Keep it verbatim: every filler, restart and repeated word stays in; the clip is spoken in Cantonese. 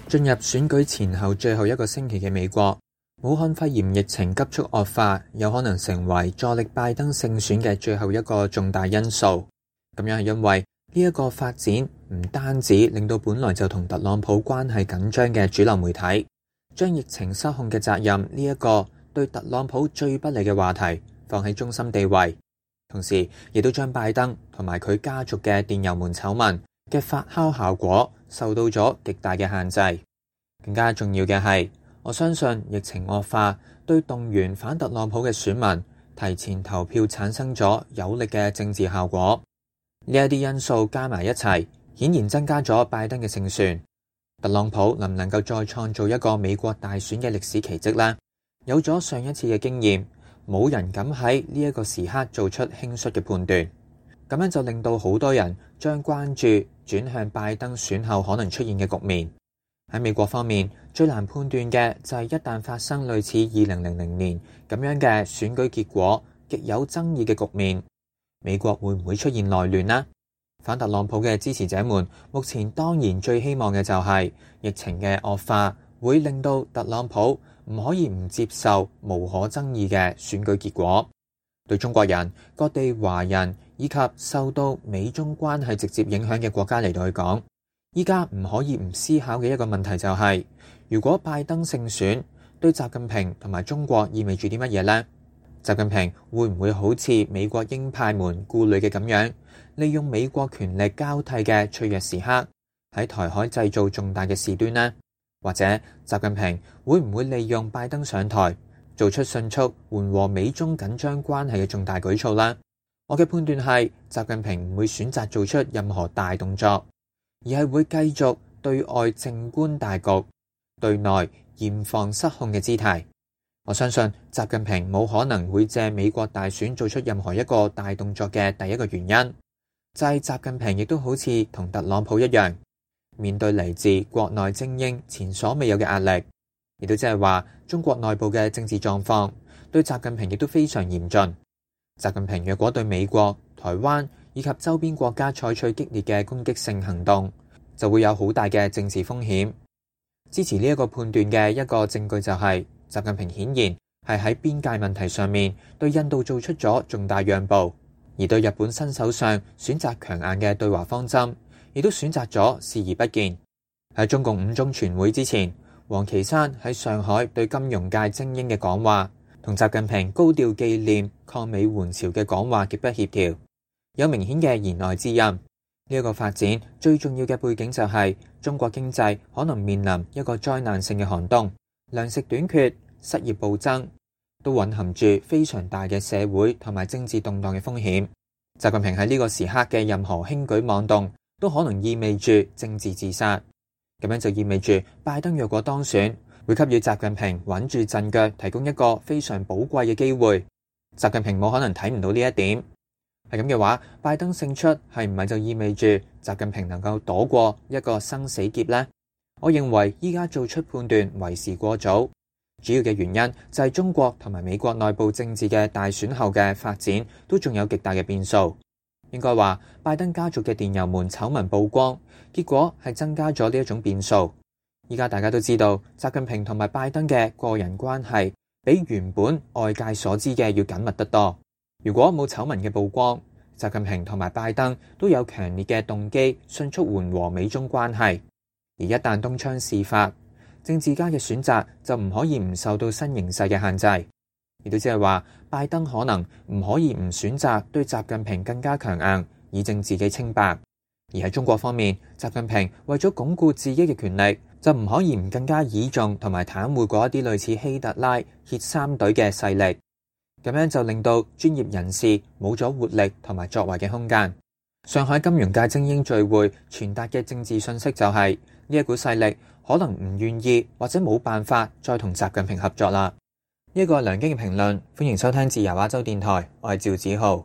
進入選舉前後最後一個星期嘅美國，武漢肺炎疫情急速惡化，有可能成為助力拜登勝選嘅最後一個重大因素。咁樣係因為呢一個發展唔單止令到本來就同特朗普關係緊張嘅主流媒體，將疫情失控嘅責任呢一個對特朗普最不利嘅話題放喺中心地位，同時亦都將拜登同埋佢家族嘅電郵門醜聞嘅發酵效果受到咗極大嘅限制。更加重要嘅係，我相信疫情惡化對動員反特朗普嘅選民提前投票產生咗有力嘅政治效果。呢一啲因素加埋一齊，顯然增加咗拜登嘅勝算。特朗普能唔能夠再創造一個美國大選嘅歷史奇蹟呢？有咗上一次嘅經驗，冇人敢喺呢一個時刻做出輕率嘅判斷。咁樣就令到好多人將關注轉向拜登選後可能出現嘅局面。喺美國方面，最難判斷嘅就係一旦發生類似二零零零年咁樣嘅選舉結果極有爭議嘅局面，美國會唔會出現內亂呢？反特朗普嘅支持者們目前當然最希望嘅就係疫情嘅惡化會令到特朗普唔可以唔接受無可爭議嘅選舉結果。對中國人、各地華人以及受到美中關係直接影響嘅國家嚟到去講，依家唔可以唔思考嘅一個問題就係，如果拜登勝選，對習近平同埋中國意味住啲乜嘢呢？習近平會唔會好似美國鷹派們顧慮嘅咁樣，利用美國權力交替嘅脆弱時刻，喺台海製造重大嘅事端呢？或者習近平會唔會利用拜登上台，做出迅速緩和美中緊張關係嘅重大舉措呢？我嘅判斷係，習近平唔會選擇做出任何大動作，而係會繼續對外靜觀大局，對內嚴防失控嘅姿態。我相信習近平冇可能會借美國大選做出任何一個大動作嘅第一個原因，就係習近平亦都好似同特朗普一樣，面對嚟自國內精英前所未有嘅壓力，亦都即係話中國內部嘅政治狀況對習近平亦都非常嚴峻。習近平若果對美國、台灣以及周邊國家採取激烈嘅攻擊性行動，就會有好大嘅政治風險。支持呢一個判斷嘅一個證據就係，習近平顯然係喺邊界問題上面對印度做出咗重大讓步，而對日本新首相選擇強硬嘅對華方針，亦都選擇咗視而不見。喺中共五中全會之前，王岐山喺上海對金融界精英嘅講話，同習近平高調紀念抗美援朝嘅講話極不協調，有明顯嘅言外之音。呢一個發展最重要嘅背景就係中國經濟可能面臨一個災難性嘅寒冬，糧食短缺、失業暴增，都蘊含住非常大嘅社會同埋政治動盪嘅風險。習近平喺呢個時刻嘅任何輕舉妄動，都可能意味住政治自殺。咁樣就意味住拜登若果當選，會給予習近平穩住陣腳提供一個非常寶貴嘅機會。習近平冇可能睇唔到呢一點。係咁嘅話，拜登勝出係唔係就意味住習近平能夠躲過一個生死劫呢？我認為依家做出判斷為時過早。主要嘅原因就係中國同埋美國內部政治嘅大選後嘅發展都仲有極大嘅變數。應該話，拜登家族嘅電郵門醜聞曝光，結果係增加咗呢一種變數。依家大家都知道，習近平同埋拜登嘅個人關係比原本外界所知嘅要緊密得多。如果冇醜聞嘅曝光，習近平同埋拜登都有強烈嘅動機迅速緩和美中關係。而一旦東窗事發，政治家嘅選擇就唔可以唔受到新形勢嘅限制。亦都即係話，拜登可能唔可以唔選擇對習近平更加強硬，以證自己清白。而喺中國方面，習近平為咗鞏固自己嘅權力，就唔可以唔更加倚重同埋袒護嗰一啲類似希特拉、歇三隊嘅勢力。咁樣就令到專業人士冇咗活力同埋作為嘅空間。上海金融界精英聚會傳達嘅政治信息就係，呢一股勢力可能唔願意或者冇辦法再同習近平合作啦。呢一個係梁京嘅評論，歡迎收聽自由亞洲電台，我係趙子浩。